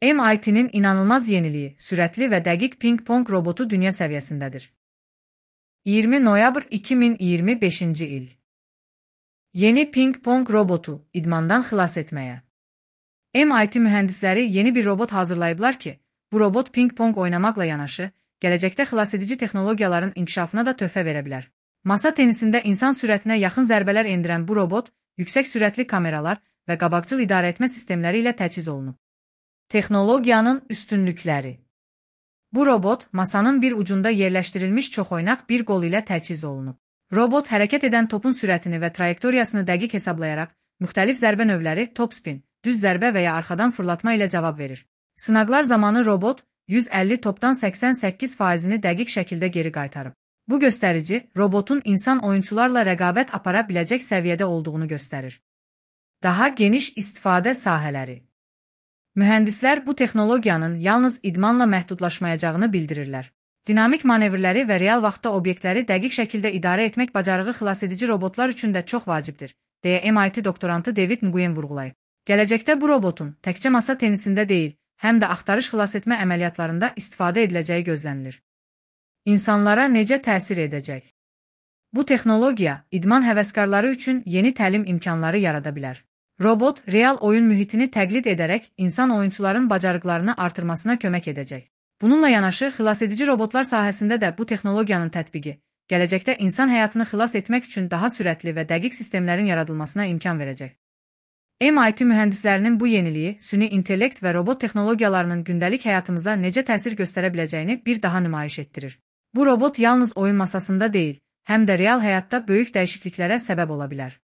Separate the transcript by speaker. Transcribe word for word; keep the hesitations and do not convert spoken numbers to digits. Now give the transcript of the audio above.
Speaker 1: M I T'nin inanılmaz yeniliği, sürətli və dəqiq ping-pong robotu dünya səviyyəsindədir. iyirmi noyabr iki min iyirmi beşinci il. Yeni ping-pong robotu idmandan xilas etməyə. M I T mühəndisləri yeni bir robot hazırlayıblar ki, bu robot ping-pong oynamaqla yanaşı, gələcəkdə xilasedici texnologiyaların inkişafına da töhfə verə bilər. Masa tenisində insan sürətinə yaxın zərbələr endirən bu robot, yüksək sürətli kameralar və qabaqcıl idarəetmə sistemləri ilə təchiz olunub. Texnologiyanın üstünlükləri. Bu robot, masanın bir ucunda yerləşdirilmiş çoxoynaq bir qol ilə təchiz olunub. Robot hərəkət edən topun sürətini və trayektoriyasını dəqiq hesablayaraq, müxtəlif zərbə növləri, topspin, düz zərbə və ya arxadan fırlatma ilə cavab verir. Sınaqlar zamanı robot, yüz əlli topdan səksən səkkiz faizini dəqiq şəkildə geri qaytarıb. Bu göstərici, robotun insan oyunçularla rəqabət apara biləcək səviyyədə olduğunu göstərir. Daha geniş istifadə sahələri. Mühəndislər bu texnologiyanın yalnız idmanla məhdudlaşmayacağını bildirirlər. Dinamik manevrləri və real vaxtda obyektləri dəqiq şəkildə idarə etmək bacarığı xilasedici robotlar üçün də çox vacibdir, deyə M I T doktorantı David Nguyen vurğulayıb. Gələcəkdə bu robotun təkcə masa tenisində deyil, həm də axtarış xilasetmə əməliyyatlarında istifadə ediləcəyi gözlənilir. İnsanlara necə təsir edəcək? Bu texnologiya, idman həvəskarları üçün yeni təlim imkanları yarada bilər. Robot, real oyun mühitini təqlid edərək insan oyunçuların bacarıqlarını artırmasına kömək edəcək. Bununla yanaşı, xilasedici robotlar sahəsində də bu texnologiyanın tətbiqi, gələcəkdə insan həyatını xilas etmək üçün daha sürətli və dəqiq sistemlərin yaradılmasına imkan verəcək. M I T mühəndislərinin bu yeniliyi, süni intellekt və robot texnologiyalarının gündəlik həyatımıza necə təsir göstərə biləcəyini bir daha nümayiş etdirir. Bu robot yalnız oyun masasında deyil, həm də real həyatda böyük dəyişikliklərə səbəb ola bilər.